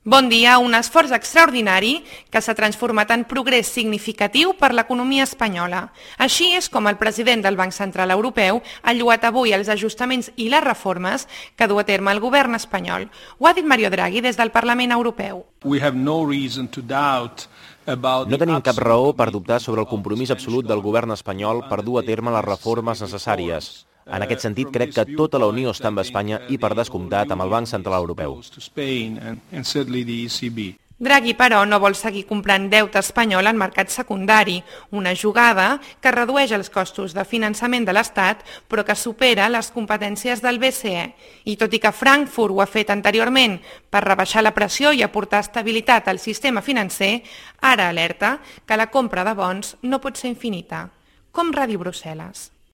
Bon dia, un esforç extraordinari que s'ha transformat en progrés significatiu per l'economia espanyola. Així és com el president del Banc Central Europeu ha lloat avui els ajustaments i les reformes que du a terme el govern espanyol. Ho ha dit Mario Draghi des del Parlament Europeu. No tenim cap raó per dubtar sobre el compromís absolut del govern espanyol per dur a terme les reformes necessàries. En aquest sentit, crec que tota la Unió està amb Espanya i, per descomptat, amb el Banc Central Europeu. Draghi, però, no vol seguir comprant deute espanyol en mercat secundari, una jugada que redueix els costos de finançament de l'Estat, però que supera les competències del BCE. I tot i que Frankfurt ho ha fet anteriorment per rebaixar la pressió i aportar estabilitat al sistema financer, ara alerta que la compra de bons no pot ser infinita. Com Ràdio Brussel·les.